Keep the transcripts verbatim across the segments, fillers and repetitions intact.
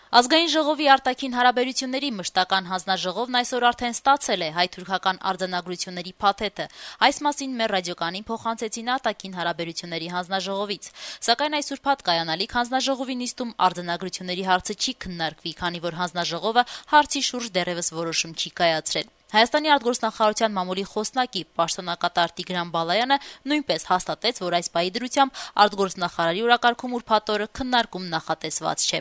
Ազգային ժողովի արտաքին հարաբերությունների մշտական հանձնաժողովն այսօր արդեն ստացել է հայ-թուրքական արձանագրությունների փաթեթը։ Այս մասին մեր ռադիոկանին փոխանցեցին արտաքին հարաբերությունների հանձնաժողովից։ Սակայն այս ուրբաթ կայանալիք հանձնաժողովի նիստում արձանագրությունների հարցը չի քննարկվի, քանի որ հանձնաժողովը հարցի շուրջ դեռևս որոշում չի կայացրել։ Հայաստանի արտգործնախարարության մամուլի խոսնակի պաշտոնակատար Տիգրան Բալայանը նույնպես հաստատեց, որ այս բայի դրությամբ արտգործնախարարի օրակարգում ուրբաթ օրը քննարկում նախատեսված չէ։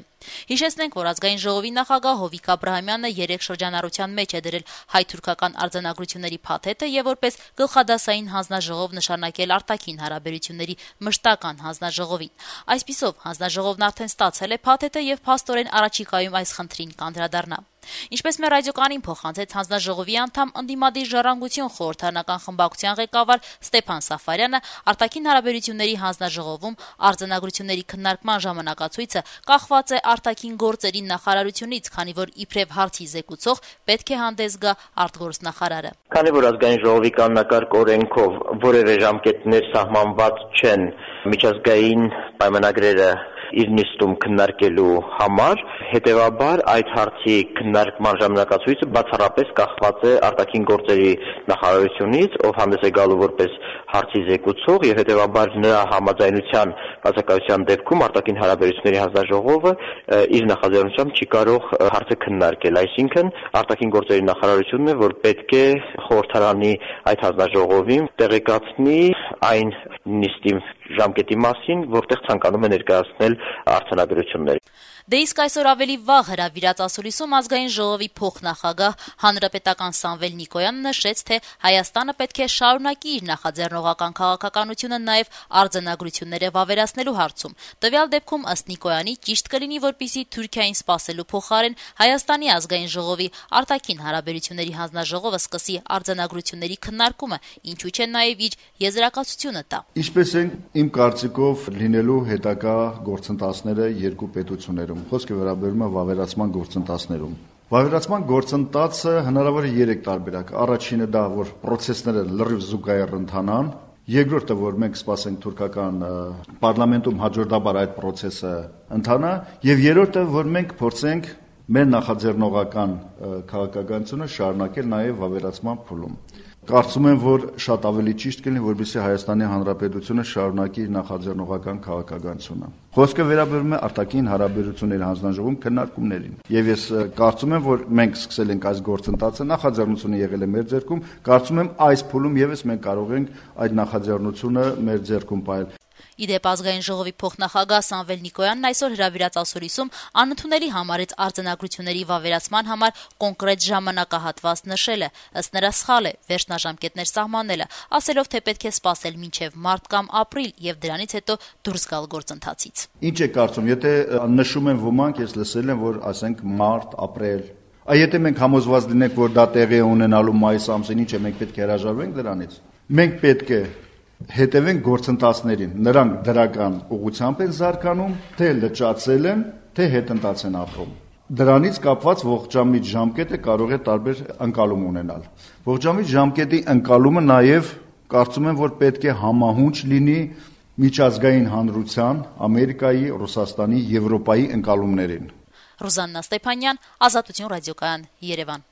Հիշեցնենք, որ ազգային ժողովի նախագահ Հովիկ Աբրահամյանը երեք շրջանառության մեջ է դրել հայ-թուրքական արձանագրությունների փաթեթը եւ որպես գլխադասային հանձնաժողով նշանակել արտաքին հարաբերությունների մշտական հանձնաժողովին։ Այսպիսով, հանձնաժողովն արդեն ստացել է փաթեթը եւ փաստորեն առաջիկայում այս խնդրին կանդրադառնա։ Ինչպես մեր ռադիոկանին փոխանցեց հանձնաժողովի անդամ ընդդիմադիր ժառանգություն խորհրդարանական խմբակցության ղեկավար Ստեփան Սաֆարյանը, արտաքին հարաբերությունների հանձնաժողովում արձանագրությունների քննարկման ժամանակացույցը կախված է արտաքին գործերի նախարարությունից, քանի որ իբրև հարցի զեկուցող պետք է հանդես գա արտգործնախարարը։ Քանի որ ազգային ժողովի կանոնակարգ օրենքով որևէ ժամկետներ սահմանված չեն միջազգային պայմանագրերը իր նիստում քննարկելու համար, հետևաբար այդ հարցի քննարկման ժամանակացույցը բացառապես կախված է արտաքին գործերի նախարարությունից, ով հանդես է գալու որպես հարցի զեկուցող, եւ հետևաբար նրա համաձայնության բացակայության դեպքում արտաքին հարաբերությունների հանձնաժողովը իր նախաձեռնությամբ չի կարող հարցը քննարկել, այսինքն արտաքին գործերի նախարարությունն է, որ պետք է խորհրդարանի այդ հանձնաժողովին տեղեկացնի այն նիստի ժամկետի մասին, որտեղ ցանկանում է ներկայացնել արձանագրություններ։ Դե իսկ այսօր ավելի վաղ հրավիրած ասուլիսում ազգային ժողովի փոխնախագահ հանրապետական Սամվել Նիկոյանը նշեց, թե Հայաստանը պետք է շարունակի իր նախաձեռնողական քաղաքականությունը նաև արձանագրությունները վավերացնելու հարցում։ Տվյալ դեպքում ըստ Նիկոյանի ճիշտ կլինի, որպեսզի Թուրքիային սպասելու փոխարեն Հայաստանի ազգային ժողովի արտաքին հարաբերությունների հանձնաժողովը սկսի արձանագրությունների քննարկումը, ինչու չէ նաև իր եզրակացությունը տա։ Ինչպես են իմ կարծիքով լինելու հետագա գործընթացները երկու պետություններում։ Խոսքը վերաբերում է վավերացման գործընթացներում։ Վավերացման գործընթացը հնարավոր է երեք տարբերակ։ Առաջինը դա, որ process-ները լրիվ զուգահեռ ընթանան, երկրորդը, որ մենք սպասենք թուրքական պարլամենտում հաջորդաբար այդ process-ը ընթանա, եւ երրորդը, որ մենք փորձենք մեր նախաձեռնողական քաղաքականությունը շարունակել նաեւ վավերացման փուլում։ Կարծում եմ, որ շատ ավելի ճիշտ կլինի, որպեսզի Հայաստանի Հանրապետությունը շարունակի իր նախաձեռնողական քաղաքականությունը։ Խոսքը վերաբերում է արտաքին հարաբերությունների հանձնաժողովում քննարկումներին։ Եվ ես կարծում եմ, որ մենք սկսել ենք այս գործընթացը, նախաձեռնությունը եղել է մեր ձեռքում, կարծում եմ այս փուլում եւս մենք կարող ենք այդ նախաձեռնությունը մեր ձեռքում պահել։ Իդեպ ազգային ժողովի փոխնախագահ Սամվել Նիկոյանն այսօր հրավիրած ասուլիսում անընդունելի համարեց արձանագրությունների վավերացման համար կոնկրետ ժամանակահատված նշելը, ըստ նրա սխալ է վերջնաժամկետներ սահմանելը, ասելով, թե պետք է սպասել մինչև մարտ կամ ապրիլ եւ դրանից հետո դուրս գալ գործընթացից։ Ինչ է կարծում, եթե նշում են ոմանք, ես լսել եմ, որ ասենք մարտ, ապրիլ, այ եթե մենք համոզված լինենք, որ դա տեղի է ունենալու մայիս ամսին, ինչ է, մենք պետք է հրաժարվենք դրանից։ Մենք պետք է հետևենք գործընթացներին, նրանք դրական ուղղությամբ են զարգանում, թե լճացել են, թե հետընթաց են ապրում։ Դրանից կապված ողջամիտ ժամկետը կարող է տարբեր ընկալում ունենալ։ Ողջամիտ ժամկետի ընկալումը նաև կարծում եմ, որ պետք է համահունչ լինի միջազգային հանրության, Ամերիկայի, Ռուսաստանի, Եվրոպայի ընկալումներին։ Ռուզաննա Ստեփանյան, Ազատություն ռադիոկայան, Երևան։